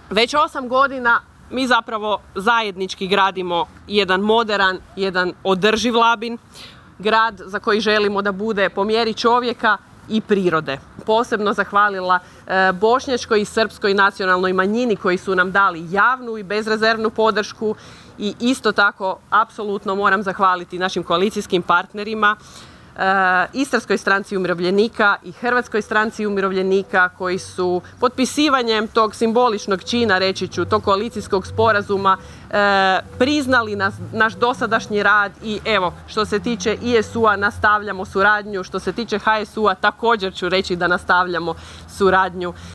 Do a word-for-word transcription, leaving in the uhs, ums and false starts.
Već osam godina mi zapravo zajednički gradimo jedan moderan, jedan održiv Labin, grad za koji želimo da bude po mjeri čovjeka i prirode. Posebno zahvalila e, bošnjačkoj i srpskoj nacionalnoj manjini koji su nam dali javnu i bezrezervnu podršku i isto tako apsolutno moram zahvaliti našim koalicijskim partnerima, Istarskoj stranci umirovljenika i Hrvatskoj stranci umirovljenika koji su potpisivanjem tog simboličnog čina, reći ću, tog koalicijskog sporazuma e, priznali nas, naš dosadašnji rad i evo, što se tiče I S U-a nastavljamo suradnju, što se tiče H S U-a također ću reći da nastavljamo suradnju.